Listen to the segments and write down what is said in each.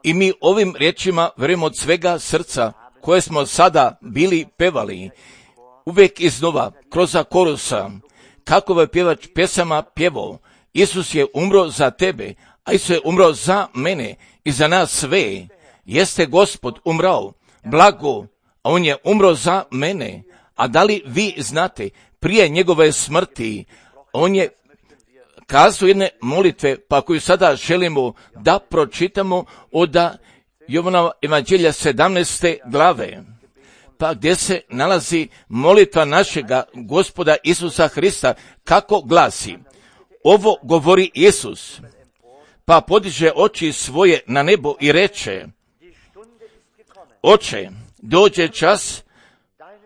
I mi ovim riječima vjerujemo od svega srca koje smo sada bili pevali, uvijek iznova, kroz korusa, kako je pjevač pjesama pjevao, Isus je umro za tebe, a Isus je umro za mene i za nas sve. Jeste Gospod umrao, blago, a on je umro za mene. A da li vi znate, prije njegove smrti, on je kazao jedne molitve, pa koju sada želimo da pročitamo od Jovanova evanđelja 17. glave, pa gdje se nalazi molitva našega Gospoda Isusa Hrista, kako glasi. Ovo govori Isus, pa podiže oči svoje na nebo i reče: Oče, dođe čas,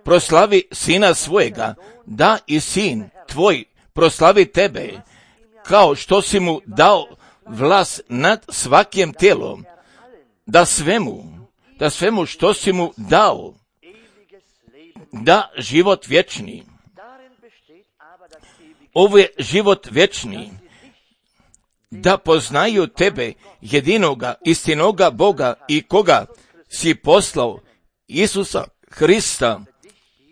proslavi sina svojega, da i sin tvoj proslavi tebe, kao što si mu dao vlast nad svakim tijelom, da svemu što si mu dao, da život vječni. Ovo je život vječni, da poznaju tebe, jedinoga, istinoga Boga i koga si poslao, Isusa Hrista.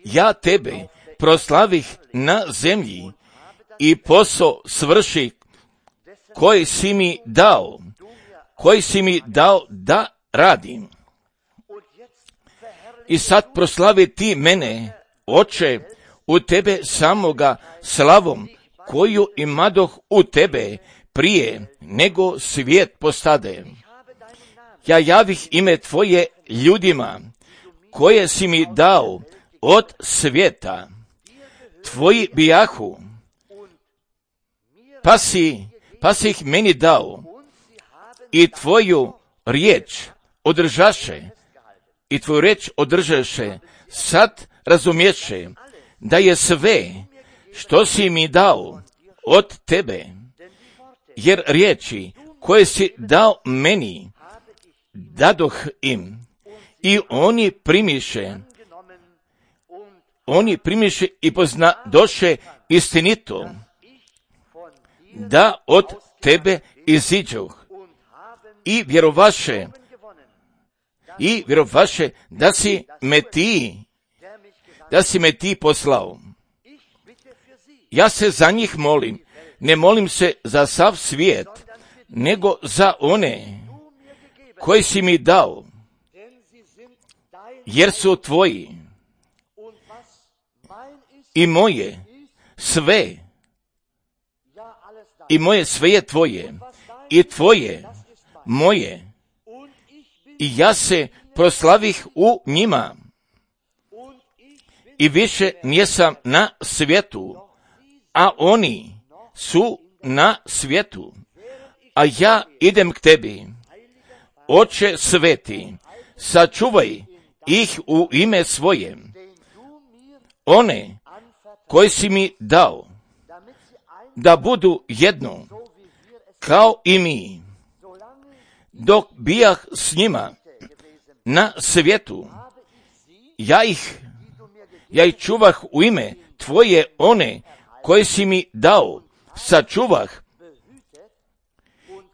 Ja tebe proslavih na zemlji i posao svrši koji si mi dao da radim. I sad proslavi ti mene, Oče, u tebe samoga slavom, koju imadoh u tebe prije nego svijet postade. Ja javih ime tvoje ljudima, koje si mi dao od svijeta. Tvoji bijahu, pa si ih meni dao, i tvoju riječ održaše, sad razumješe, da je sve, što si mi dao od tebe, jer riječi koje si dao meni, dadoh im, i oni primiše i poznadoše istinito, da od tebe iziđoh, i vjerovaše da si me ti poslao. Ja se za njih molim, ne molim se za sav svijet, nego za one koji si mi dao, jer su tvoji. I moje sve je tvoje, i tvoje moje, i ja se proslavih u njima, i više nisam na svijetu, a oni su na svijetu, a ja idem k tebi. Oče sveti, sačuvaj ih u ime svoje, one koji si mi dao, da budu jedno, kao i mi. Dok bijah s njima na svijetu, ja ih čuvah u ime tvoje, one koje si mi dao, sačuvah,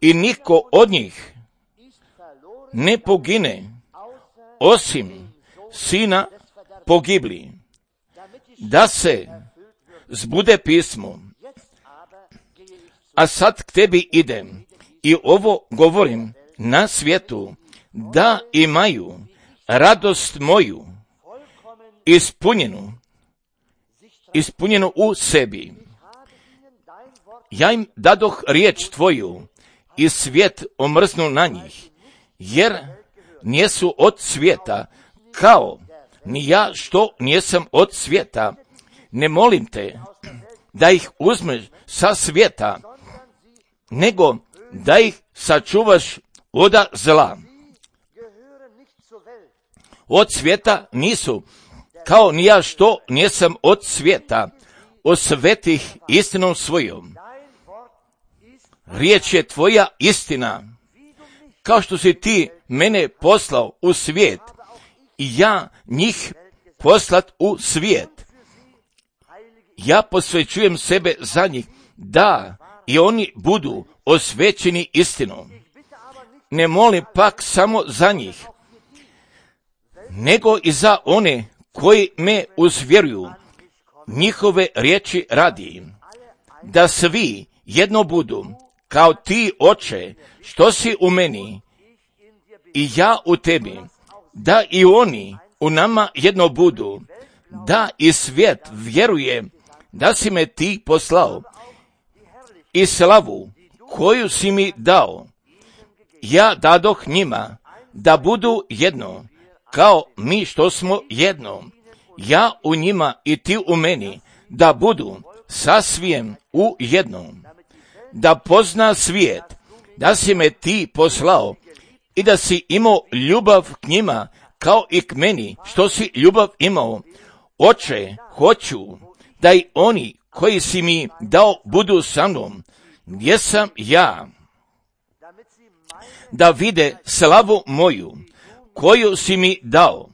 i niko od njih ne pogine, osim sina pogibli, da se zbude pismo. A sad k tebi idem i ovo govorim na svijetu, da imaju radost moju ispunjenu u sebi. Ja im dadoh riječ tvoju, i svijet omrznu na njih, jer nijesu od svijeta, kao ni ja što nijesam od svijeta. Ne molim te da ih uzmeš sa svijeta, nego da ih sačuvaš od zla. Od svijeta nisu, kao ni ja što nijesam od svijeta. Osvetih istinom svojom. Riječ je tvoja istina, kao što si ti mene poslao u svijet, i ja njih poslat u svijet. Ja posvećujem sebe za njih, da i oni budu osvećeni istinom. Ne molim pak samo za njih, nego i za one koji me uzvjeruju, njihove riječi radi, da svi jedno budu, kao ti, Oče, što si u meni i ja u tebi, da i oni u nama jedno budu, da i svijet vjeruje da si me ti poslao i slavu koju si mi dao, ja dadoh njima da budu jedno, kao mi što smo jedno, ja u njima i ti u meni, da budu sasvim u jednom, da pozna svijet da si me ti poslao i da si imao ljubav k njima kao i k meni što si ljubav imao. Oče, hoću da i oni koji si mi dao budu sa mnom, gdje sam ja, da vide slavu moju, koju si mi dao,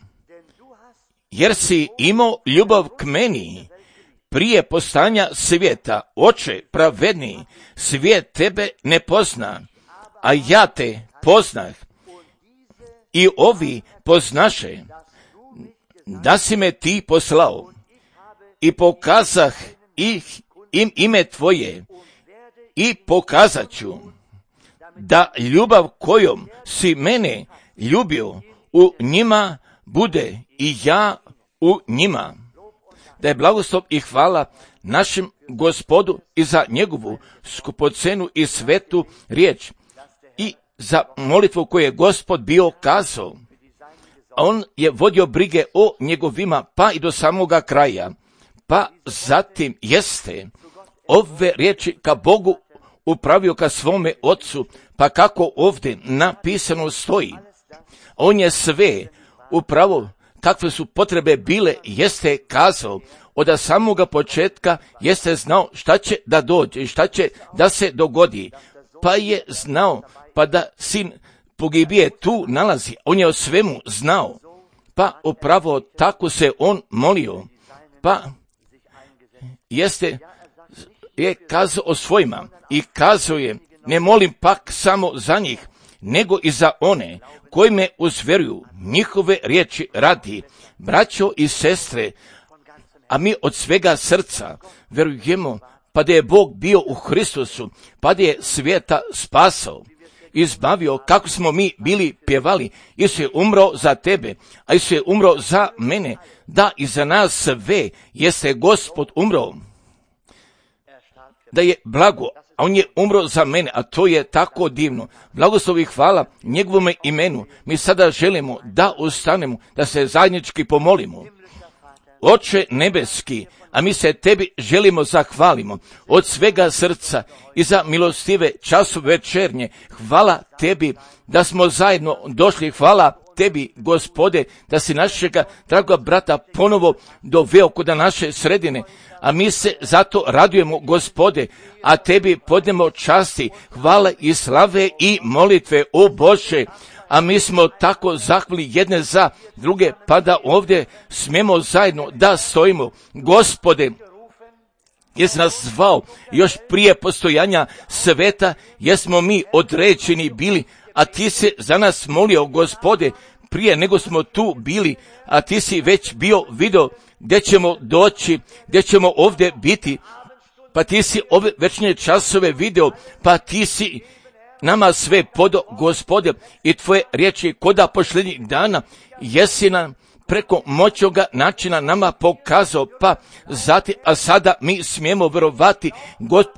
jer si imao ljubav k meni prije postanja svijeta. Oče pravedni, svijet tebe ne pozna, a ja te poznah, i ovi poznaše da si me ti poslao, i pokazah im ime tvoje, i pokazat ću da ljubav kojom si mene ljubio u njima bude i ja u njima. Da je blagoslov i hvala našem Gospodu i za njegovu skupocenu i svetu riječ i za molitvu koju je Gospod bio kazao. On je vodio brige o njegovima pa i do samoga kraja. Pa zatim jeste ove riječi ka Bogu upravio ka svome Otcu, pa kako ovdje napisano stoji. On je sve upravo kakve su potrebe bile, jeste kazao, od samoga početka jeste znao šta će da dođe i šta će da se dogodi, pa je znao, pa da sin pogibije tu nalazi, on je o svemu znao, pa upravo tako se on molio, pa je kazao o svojima i kazao je, ne molim pak samo za njih, nego i za one koji me uzvjeruju, njihove riječi radi. Braćo i sestre, a mi od svega srca vjerujemo pa da je Bog bio u Hristusu, pa da je svijeta spasao, izbavio, kako smo mi bili pjevali, Isus je umro za tebe, a Isus je umro za mene, da i za nas sve jeste Gospod umro, da je blago, a on je umro za mene, a to je tako divno. Blagoslov i hvala njegovome imenu. Mi sada želimo da ustanemo, da se zajednički pomolimo. Oče nebeski, a mi se tebi želimo zahvalimo od svega srca i za milostive časove večernje. Hvala tebi da smo zajedno došli, hvala tebi, Gospode, da si našega dragoga brata ponovo doveo kod naše sredine, a mi se zato radujemo, Gospode, a tebi podnemo časti, hvala i slave i molitve, o Bože, a mi smo tako zahvali jedne za druge, pa da ovdje smemo zajedno da stojimo. Gospode, jesi nas zvao još prije postojanja sveta, jesmo mi određeni bili, a ti se za nas molio, Gospode, prije nego smo tu bili, a ti si već bio video gdje ćemo doći, gdje ćemo ovdje biti, pa ti si ove večne časove video, pa ti si nama sve podo, Gospode, i tvoje riječi koda posljednjih dana jesi nam preko moćoga načina nama pokazao, pa zatim, a sada mi smijemo vjerovati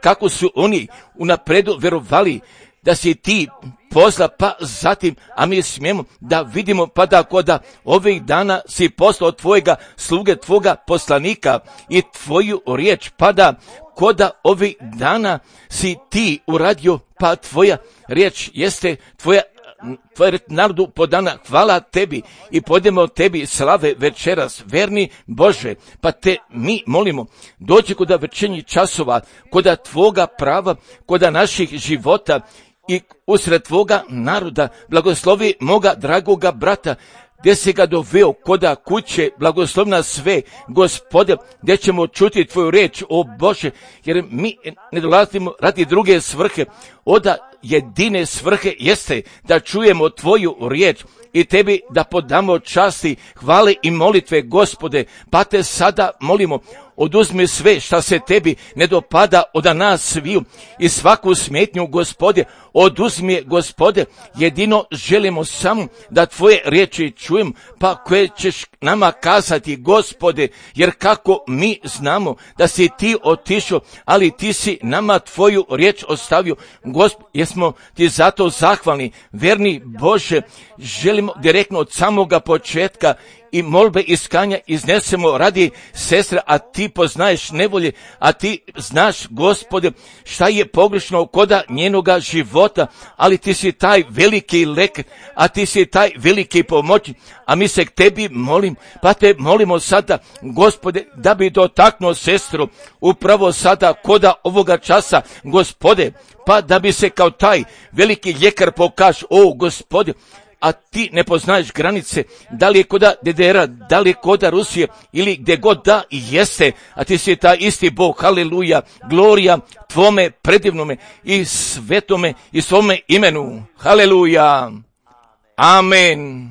kako su oni unapredu vjerovali da si ti posla, pa zatim, a mi smijemo da vidimo, pa da koda ovih dana si poslao tvojega sluge, tvoga poslanika i tvoju riječ, pa da koda ovih dana si ti uradio, pa tvoja riječ jeste tvoja narodu podana. Hvala tebi i podemo tebi slave večeras, verni Bože, pa te mi molimo, dođi koda večernjih časova, koda tvoga prava, koda naših života i usred tvoga naroda, blagoslovi moga dragoga brata, gdje si ga doveo koda kuće, blagoslovna sve, Gospode, gdje ćemo čuti tvoju reč, o Bože, jer mi ne dolazimo radi druge svrhe, oda jedine svrhe jeste da čujemo tvoju riječ i tebi da podamo časti, hvale i molitve, Gospode, pa te sada molimo, oduzmi sve šta se tebi ne dopada od nas sviju i svaku smetnju, Gospode, oduzmi je, Gospode, jedino želimo samo da tvoje riječi čujem, pa koje ćeš nama kazati, Gospode, jer kako mi znamo da si ti otišao, ali ti si nama tvoju riječ ostavio, Gospode, jesmo ti zato zahvalni, verni Bože, želimo direktno od samoga početka i molbe iskanja iznesemo radi sestre, a ti poznaješ nevolje, a ti znaš, Gospode, šta je pogrešno koda njenoga života, ali ti si taj veliki lek, a ti si taj veliki pomoć, a mi se k tebi molim, pa te molimo sada, Gospode, da bi dotaknuo sestru upravo sada koda ovoga časa, Gospode, pa da bi se kao taj veliki ljekar pokaž, o Gospode, a ti ne poznaješ granice, da li je koda DDR-a, da li je koda Rusije ili gdje god da i jeste, a ti si taj isti Bog, haleluja, glorija tvome predivnome i svetome i svome imenu, haleluja, amen,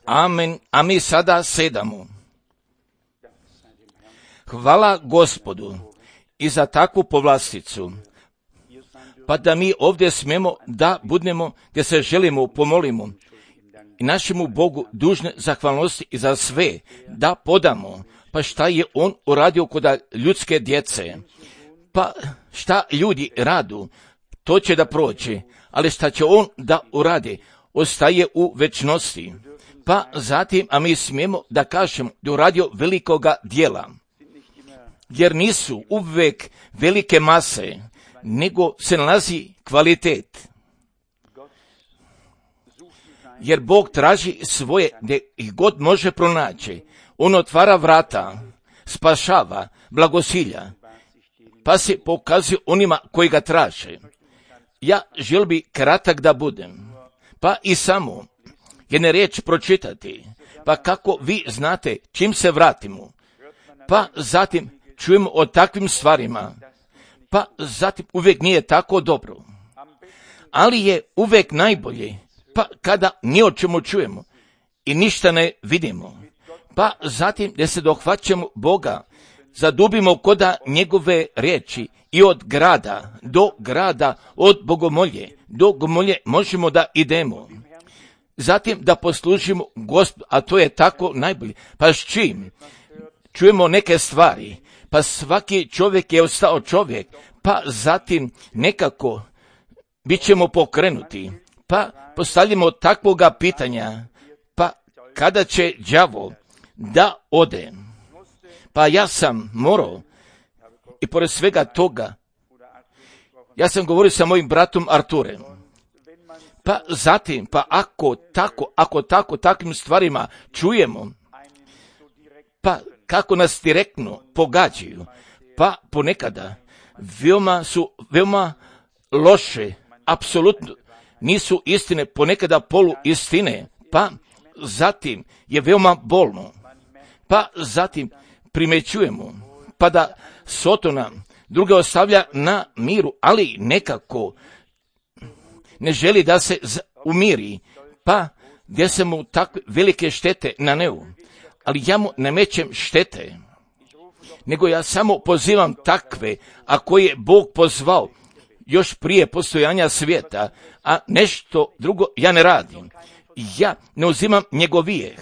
amen, a mi sada sedamo. Hvala Gospodu i za takvu povlasticu, pa da mi ovdje smemo da budemo gdje se želimo, pomolimo i našemu Bogu dužne zahvalnosti i za sve da podamo, pa šta je on uradio kod ljudske djece, pa šta ljudi radu, to će da prođe, ali šta će on da uradi, ostaje u večnosti, pa zatim, a mi smijemo da kažemo da uradio velikoga dijela, jer nisu uvek velike mase, nego se nalazi kvalitet. Jer Bog traži svoje gdje ih god može pronaći. On otvara vrata, spašava, blagosilja, pa se pokazuje onima koji ga traže. Ja želim bi kratak da budem, pa i samo jedne riječ pročitati, pa kako vi znate čim se vratimo, pa zatim čujemo o takvim stvarima, pa zatim uvijek nije tako dobro, ali je uvijek najbolje, pa kada ni o čemu čujemo i ništa ne vidimo, pa zatim da se dohvaćamo Boga, zadubimo koda njegove riječi i od grada do grada, od bogomolje do bogomolje možemo da idemo. Zatim da poslužimo Gospodu, a to je tako najbolje. Pa s čim? Čujemo neke stvari, pa svaki čovjek je ostao čovjek, pa zatim nekako bit ćemo pokrenuti, pa postavljamo takvoga pitanja, pa kada će đavo da ode? Pa ja sam morao, i pored svega toga, ja sam govorio sa mojim bratom Arturem, pa zatim, pa ako tako takvim stvarima čujemo, pa kako nas direktno pogađaju, pa ponekada veoma loše, apsolutno nisu istine, ponekada polu istine, pa zatim je veoma bolno, pa zatim primećujemo, pa da Sotona druge ostavlja na miru, ali nekako ne želi da se umiri, pa gdje se mu takve velike štete na nevu, ali ja mu ne mećem štete, nego ja samo pozivam takve, a koje je Bog pozvao još prije postojanja svijeta, a nešto drugo ja ne radim. Ja ne uzimam njegov grijeh,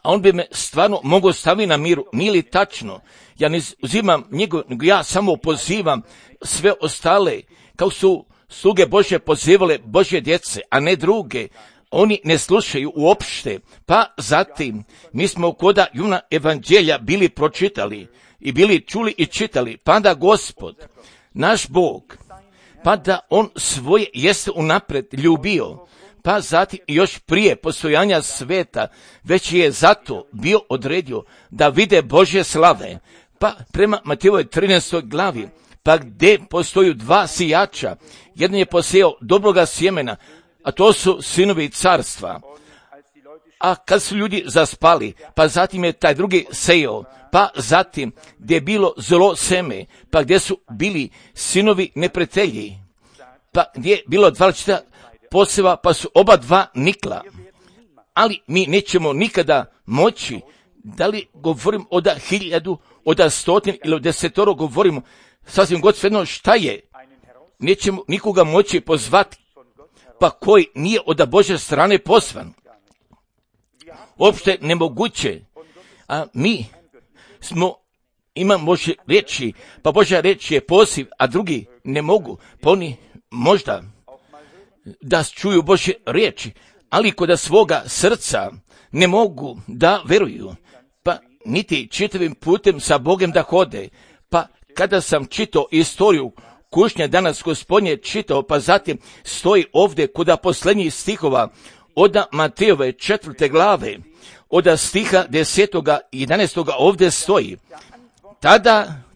a on bi me stvarno mogao staviti na miru. Nije li tačno? Ja ne uzimam njegov, nego ja samo pozivam sve ostale, kao su sluge Božje pozivale Božje djece, a ne druge. Oni ne slušaju uopšte, pa zatim mi smo koda Juna evanđelja bili pročitali i bili čuli i čitali, pa da Gospod, naš Bog, pa da on svoje jeste unapred ljubio, pa zatim još prije postojanja sveta, već je zato bio odredio da vide Božje slave, pa prema Matejevoj 13. glavi, pa gdje postoju dva sijača, jedan je posejao dobroga sjemena, a to su sinovi carstva. A kad su ljudi zaspali, pa zatim je taj drugi sejao, pa zatim gdje je bilo zlo seme, pa gdje su bili sinovi neprijatelji, pa gdje je bilo 2 poseva, pa su oba dva nikla. Ali mi nećemo nikada moći, da li govorim od 1000, od 100 ili od 10, govorimo sasvim god svejedno šta je. Nećemo nikoga moći pozvati, pa koji nije od Božje strane poslan. Uopšte nemoguće. A mi imamo Božje riječi, pa Božja riječ je poziv, a drugi ne mogu. Pa oni možda da čuju Božje riječi, ali kod svoga srca ne mogu da veruju, pa niti čitavim putem sa Bogom da hode. Pa kada sam čitao istoriju kušnje danas Gospodnje čitao, pa zatim stoji ovdje kod posljednjih stihova od Matejove 4. glave, od stiha 10. i 11. ovdje stoji.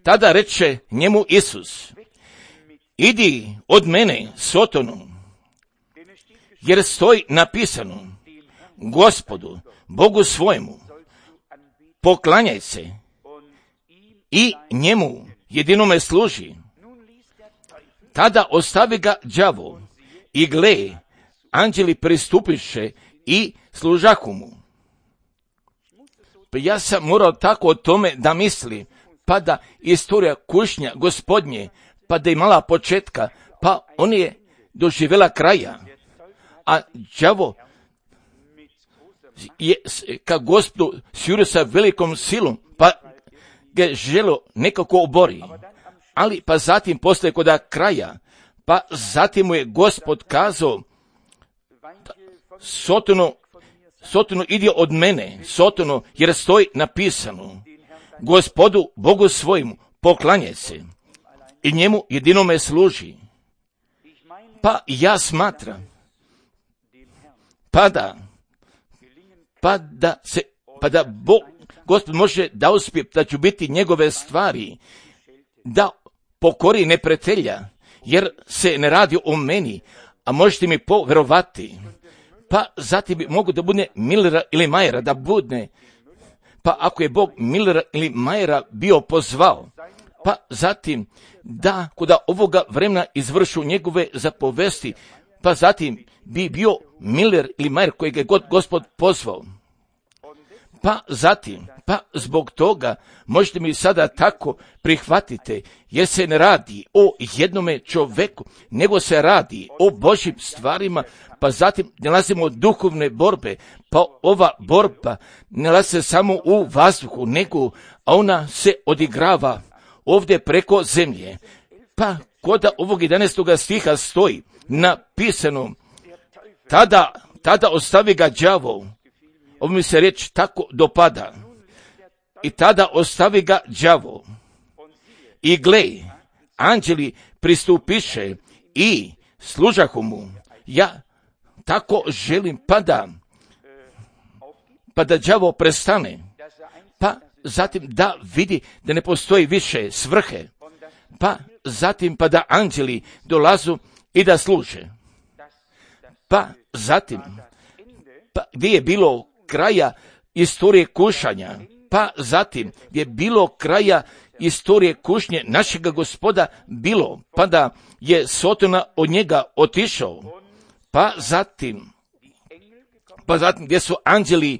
Tada reče njemu Isus: idi od mene, Sotonu, jer stoji napisano: Gospodu, Bogu svojemu, poklanjaj se i njemu jedinome služi. Tada ostavi ga đavo i gle, anđeli pristupiše i služahu mu. Pa ja sam morao tako o tome da misli, pa da istorija kušnja Gospodnje, pa da imala početka, pa on je doživjela kraja. A đavo je ka Gospodu sjure sa velikom silom, pa ga želo nekako obori. Ali pa zatim poslije kod kraja, pa zatim mu je Gospod kazao: Sotonu, idi od mene, Sotonu, jer stoji napisano: Gospodu, Bogu svojemu, poklanjaj se i njemu jedinome služi. Pa ja smatram, pa da Gospod može da uspije, da ću biti njegove stvari, da pokori neprijatelja, jer se ne radi o meni, a možete mi poverovati. Pa zatim bi mogu da bude Millera ili Majera, da bude, pa ako je Bog Millera ili Majera bio pozvao, pa zatim da kod ovoga vremena izvršu njegove zapovesti, pa zatim bi bio Miller ili Majer kojeg je Gospod pozvao. Pa zatim, pa zbog toga možete mi sada tako prihvatite, jer se ne radi o jednome čoveku, nego se radi o Božjim stvarima, pa zatim nalazimo duhovne borbe, pa ova borba ne nalazi se samo u vazduhu, nego ona se odigrava ovdje preko zemlje. Pa kod ovog 11. stiha stoji napisano: tada ostavi ga đavo. Ovo mi se riječ tako dopada. I tada ostavi ga đavo. I gle, anđeli pristupiše i služahu mu. Ja tako želim pa da đavo prestane. Pa zatim da vidi da ne postoji više svrhe. Pa zatim pa da anđeli dolazu i da služe. Pa zatim, pa gdje je bilo kraja istorije kušanja, pa zatim gdje je bilo kraja istorije kušnje našega Gospoda bilo, pa da je Sotona od njega otišao, pa zatim gdje su anđeli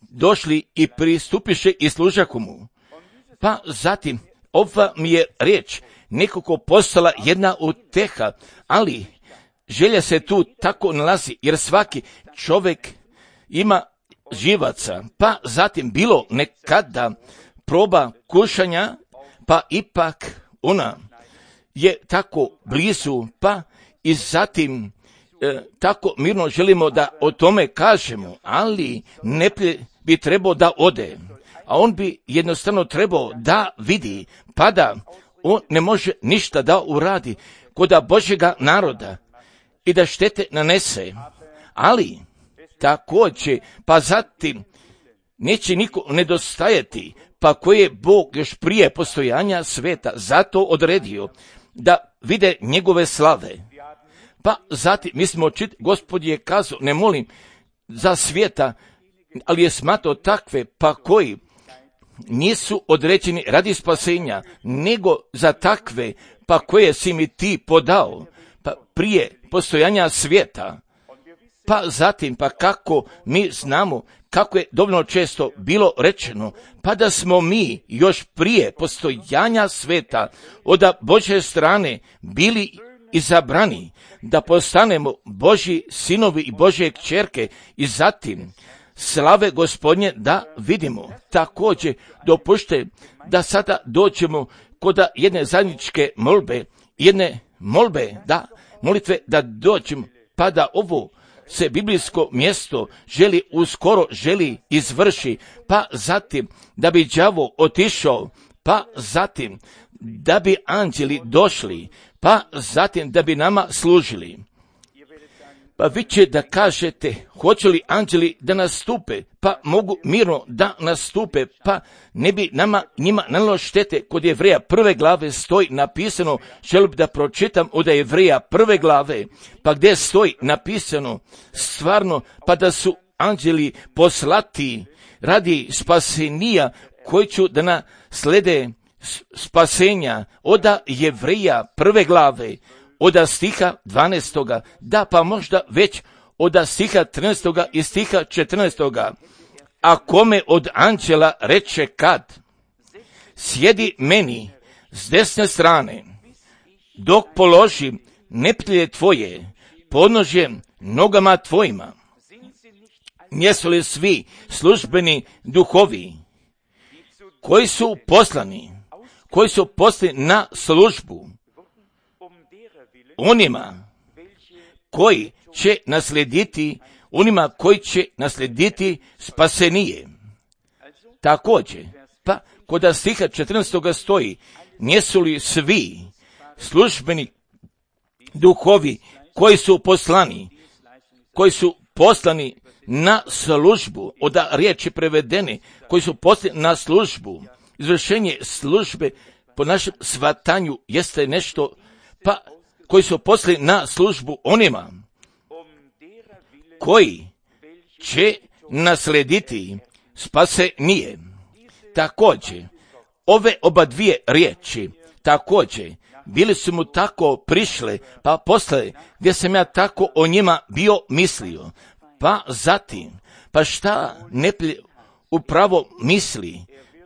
došli i pristupiše i služahu mu. Pa zatim ova mi je riječ nekako postala jedna uteha, ali želja se tu tako nalazi, jer svaki čovjek ima živaca, pa zatim bilo nekada proba kušanja, pa ipak ona je tako blizu, pa i zatim tako mirno želimo da o tome kažemo, ali ne bi trebao da ode, a on bi jednostavno trebao da vidi, pa da on ne može ništa da uradi kod Božjega naroda i da štete nanese, ali također, pa zatim neće niko nedostajati, pa koje je Bog još prije postojanja sveta zato odredio da vide njegove slave. Pa zatim, mi smo Gospod je kazao, ne molim za svijeta, ali je smatrao takve, pa koji nisu određeni radi spasenja, nego za takve, pa koje si mi ti podao, pa prije postojanja svijeta. Pa zatim, pa kako mi znamo, kako je dovoljno često bilo rečeno, pa da smo mi još prije postojanja sveta od Božje strane bili izabrani, da postanemo Božji sinovi i Božje kćerke i zatim slave Gospodnje da vidimo. Također dopušte da sada dođemo kod jedne zajedničke molitve da dođemo, pa da ovo se biblijsko mjesto želi izvrši, pa zatim da bi đavo otišao, pa zatim da bi anđeli došli, pa zatim da bi nama služili. Pa vi će da kažete, hoće li anđeli da nastupe, pa mogu mirno da nastupe, pa ne bi njima nanijelo štete. Kod Jevreja 1. glave stoji napisano, želim da pročitam od Jevreja 1. glave, pa gdje stoji napisano stvarno, pa da su anđeli poslati radi spasenija koji ću da naslede spasenja od Jevreja 1. glave, od stiha 12. da pa možda već od stiha 13. i stiha 14. A kome od anđela reče kad sjedi meni s desne strane, dok položim neprijatelje tvoje podnožje nogama tvojima. Jesu li svi službeni duhovi koji su poslani na službu onima koji će naslijediti spasenije. Također, pa kod stiha 14. stoji, nisu li svi službeni duhovi koji su poslani na službu, od riječi prevedene, koji su poslani na službu. Izvršenje službe po našem shvatanju jeste nešto, pa koji su poslani na službu onima koji će naslijediti spasenije. Također, ove oba dvije riječi, također, bili su mu tako prišle, pa poslije gdje sam ja tako o njima bio mislio, pa zatim, pa šta neprijatelj upravo misli,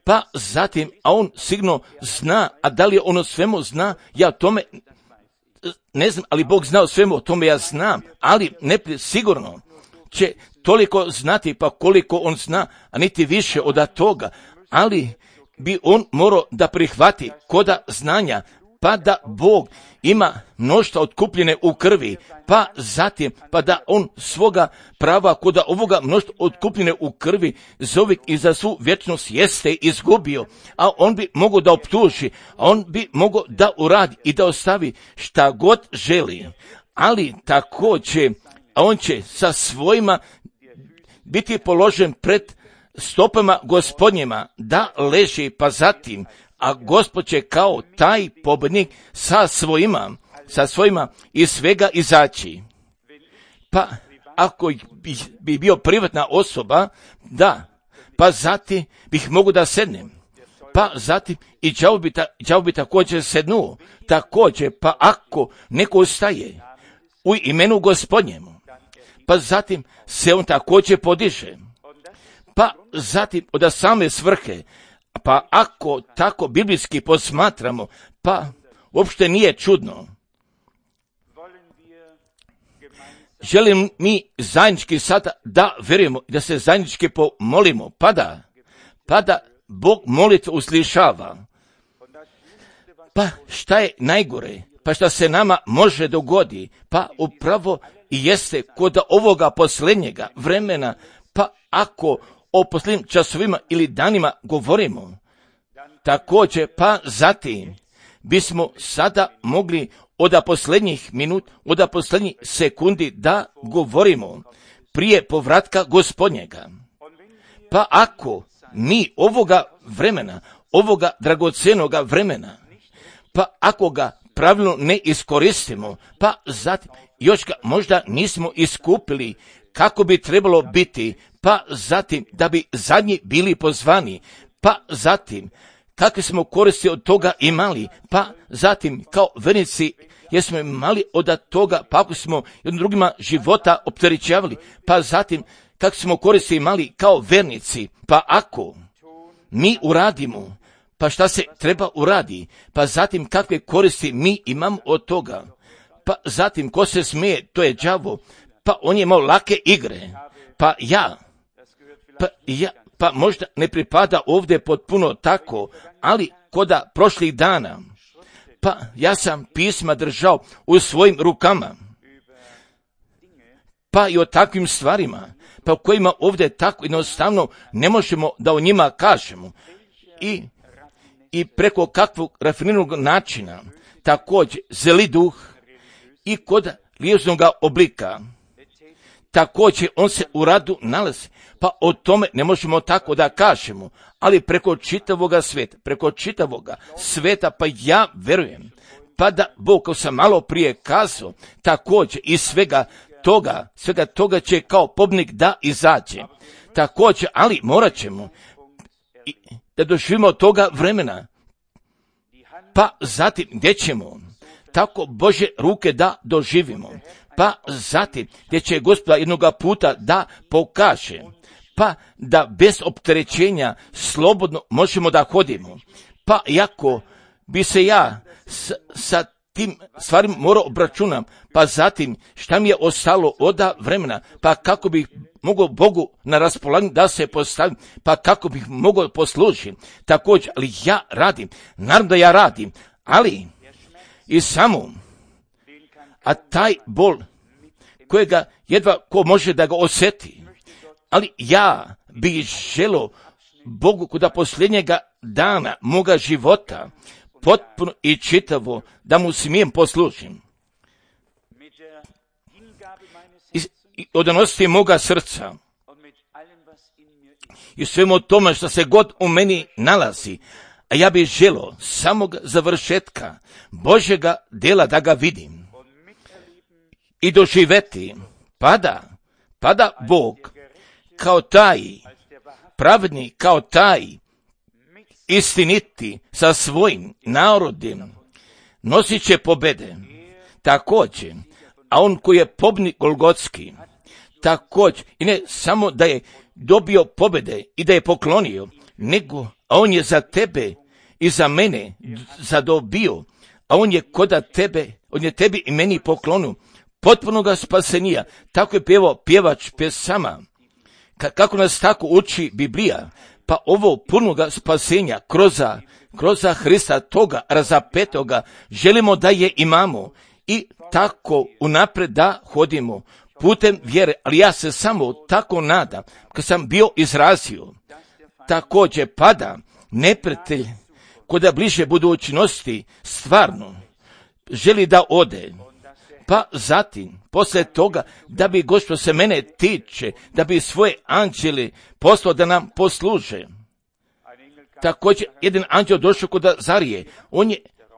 pa zatim, a on sigurno zna, a da li on o svemu zna, ja o tome ne znam, ali Bog zna o svemu, o tome ja znam, ali neprijatelj sigurno će toliko znati, pa koliko on zna, a niti više od toga, ali bi on morao da prihvati koda znanja, pa da Bog ima mnoštvo otkupljene u krvi, pa zatim, pa da on svoga prava koda ovoga mnoštvo otkupljene u krvi za uvijek i za svu vječnost jeste izgubio, a on bi mogao da optuži, a on bi mogao da uradi i da ostavi šta god želi, ali također, a on će sa svojima biti položen pred stopama Gospodnjima da leži, pa zatim, a Gospod će kao taj pobjednik sa svojima iz svega izaći. Pa ako bi bio privatna osoba, da, pa zatim bih mogu da sednem, pa zatim i đavo bi također sednuo, također, pa ako neko ustaje u imenu Gospodnjemu, pa zatim se on također podiže, pa zatim od same svrhe, pa ako tako biblijski posmatramo, pa uopšte nije čudno. Želim mi zajednički sada da vjerujemo i da se zajednički pomolimo, pa da Bog molitvu uslišava. Pa šta je najgore? Pa šta se nama može dogodi? Pa upravo i jeste kod ovoga posljednjega vremena, pa ako o posljednjim časovima ili danima govorimo, također, pa zatim bismo sada mogli od posljednjih minut, od posljednjih sekundi da govorimo prije povratka Gospodnjega. Pa ako mi ovoga vremena, ovoga dragocjenoga vremena, pa ako ga pravilno ne iskoristimo, pa zatim još ga možda nismo iskupili kako bi trebalo biti, pa zatim da bi zadnji bili pozvani, pa zatim kakve smo koristi od toga imali, pa zatim kao vernici jesmo imali od toga, pa ako smo jednim drugima života opterećavali, pa zatim kako smo koristi imali kao vernici, pa ako mi uradimo, pa šta se treba uradi, pa zatim kakve koristi mi imamo od toga, pa zatim ko se smije, to je đavo, pa on je imao lake igre, pa možda ne pripada ovdje potpuno tako, ali koda prošlih dana, pa ja sam pisma držao u svojim rukama, pa i o takvim stvarima, pa o kojima ovdje tako jednostavno ne možemo da o njima kažemo, i preko kakvog rafiniranog načina, također zeli duh i kod liječnog oblika, također on se u radu nalazi, pa o tome ne možemo tako da kažemo, ali preko čitavoga sveta, pa ja verujem, pa da Bog, kao sam malo prije kazao, također i svega toga će kao pobjednik da izađe. Također, ali morat ćemo da doživimo toga vremena, pa zatim gdje ćemo tako Božje ruke da doživimo, pa zatim gdje će Gospoda jednoga puta da pokaže, pa da bez opterećenja slobodno možemo da hodimo, pa iako bi se ja sa tim stvarima morao obračunam, pa zatim šta mi je ostalo od vremena, pa kako bih mogao Bogu na raspolaganju da se postavim, pa kako bih mogao poslužiti, također, ali ja radim, naravno da ja radim, ali i samo, a taj bol kojega jedva ko može da ga osjeti, ali ja bih želio Bogu kuda posljednjega dana moga života potpuno i čitavo da mu smijem poslužim. I odanosti moga srca i svemu tome što se god u meni nalazi, a ja bih želio samog završetka Božjega dela da ga vidim i doživeti, pada Bog kao taj pravedni, kao taj istiniti sa svojim narodom nosit će pobede. Također, a on koji je pobjednik Golgotski, također, i ne samo da je dobio pobjede i da je poklonio, nego, a on je za tebe i za mene zadobio, a on je koda tebe, on je tebi i meni poklonio potpunoga spasenija. Tako je pjevao pjevač pjesama, kako nas tako uči Biblija, pa ovo punoga spasenja kroz Hrista toga razapetoga želimo da je imamo i tako unapred da hodimo putem vjere, ali ja se samo tako nadam, kad sam bio izrazio, također pada neprijatelj koda bliže budućnosti stvarno želi da ode, pa zatim, poslije toga, da bi Gospod se mene tiče, da bi svoje anđele poslao da nam posluže. Također, jedan anđel došao kod Azarije,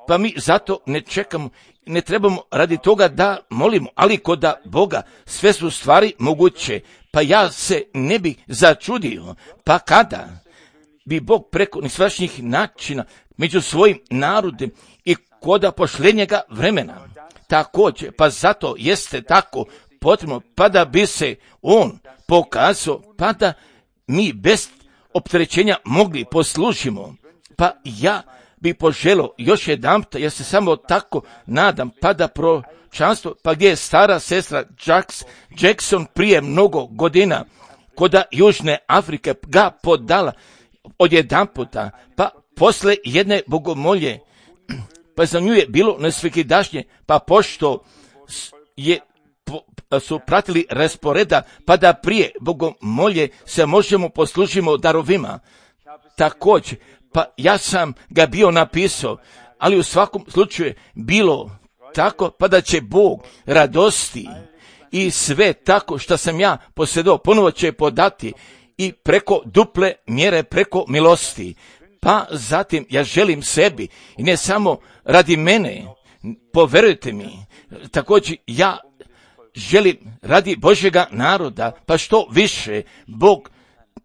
pa mi zato ne čekamo, ne trebamo radi toga da molimo, ali kod Boga sve su stvari moguće, pa ja se ne bih začudio, pa kada bi Bog preko nesvačnih načina među svojim narodom i koda posljednjega vremena, također, pa zato jeste tako potrebno, pa da bi se on pokazao, pa da mi bez opterećenja mogli poslužimo, pa ja bi poželio još jedanput, ja se samo tako nadam, pa da proročanstvo, pa gdje je stara sestra Jackson prije mnogo godina, koda Južne Afrike ga podala odjedanputa, pa posle jedne bogomolje, pa za nju je bilo nesvekidašnje, pa pošto su pratili rasporeda, pa da prije bogomolje se možemo poslužimo darovima. Također, pa ja sam ga bio napisao, ali u svakom slučaju bilo tako, pa da će Bog radosti i sve tako što sam ja posjedao, ponovo će podati i preko duple mjere, preko milosti. Pa zatim ja želim sebi, i ne samo radi mene, poverujte mi, također ja želim radi Božjega naroda, pa što više Bog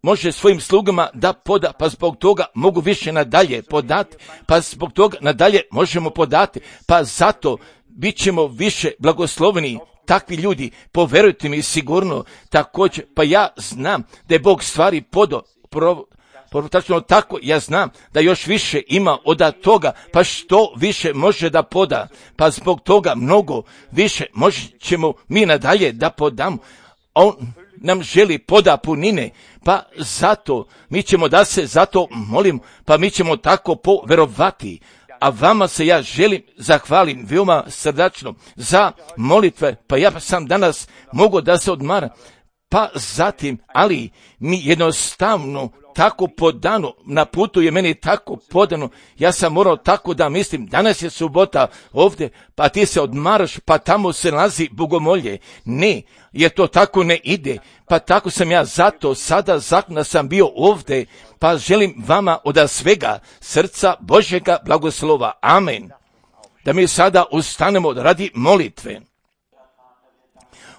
može svojim slugama da poda, pa zbog toga mogu više nadalje podati, pa zbog toga nadalje možemo podati, pa zato bit ćemo više blagosloveni. Takvi ljudi, poverujte mi sigurno, također, pa ja znam da je Bog stvari tačno tako, ja znam da još više ima od toga, pa što više može da poda, pa zbog toga mnogo više ćemo mi nadalje da podamo. On nam želi poda punine, pa zato mi ćemo da se zato molim, pa mi ćemo tako poverovati. A vama se ja želim zahvalim veoma srdačno za molitve, pa ja sam danas mogu da se odmaram, pa zatim, ali mi jednostavno tako podano, na putu je meni tako podano, ja sam morao tako da mislim, danas je subota ovdje, pa ti se odmaraš, pa tamo se nalazi bogomolje. Ne, jer to tako ne ide, pa tako sam ja zato sada zakona sam bio ovdje, pa želim vama od svega srca Božjega blagoslova. Amen. Da mi sada ustanemo radi molitve.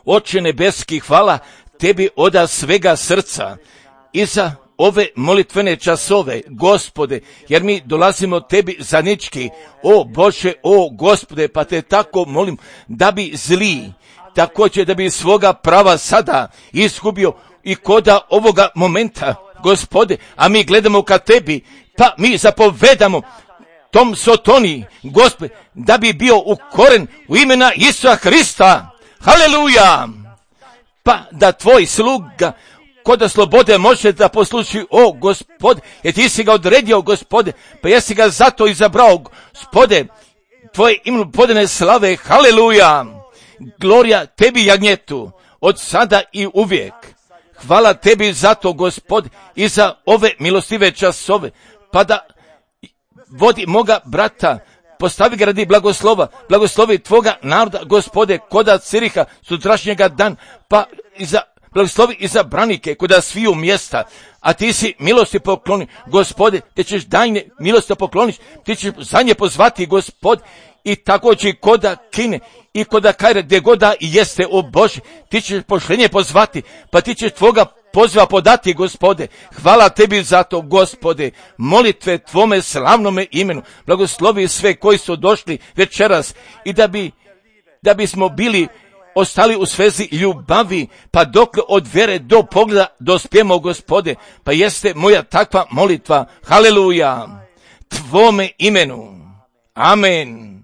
Oče nebeski, hvala tebi od svega srca i za ove molitvene časove, Gospode, jer mi dolazimo tebi zajednički, o Bože, o Gospode, pa te tako molim da bi zli, također da bi svoga prava sada izgubio i koda ovoga momenta, Gospode, a mi gledamo ka tebi, pa mi zapovedamo tom Sotoni, Gospode, da bi bio ukoren u imena Isusa Hrista. Haleluja! Pa da tvoj sluga koda slobode može da posluši, o Gospode, jer ti si ga odredio, Gospode, pa jesi ga zato izabrao, Gospode, tvoje ime podane slave, haleluja, glorija tebi jagnjetu, od sada i uvijek. Hvala tebi za to, Gospode, i za ove milostive časove, pa da vodi moga brata, postavi ga radi blagoslova, blagoslovi tvoga naroda, Gospode, koda Ciriha sutrašnjega dan, pa blagoslovi i za branike koda sviju mjesta, a ti si milosti pokloni, Gospode, te ćeš dajne milosti pokloniš, ti ćeš za nje pozvati, Gospod, i također koda Kine i koda Kajre, gdje goda i jeste, o Bože, ti ćeš pošlenje pozvati, pa ti ćeš tvoga poziva podati, Gospode. Hvala tebi za to, Gospode, molitve tvome slavnome imenu, blagoslovi sve koji su došli večeras i da bismo bili ostali u svezi ljubavi, pa dokle od vere do pogleda dospijemo, Gospode, pa jeste moja takva molitva, haleluja, tvome imenu, amen.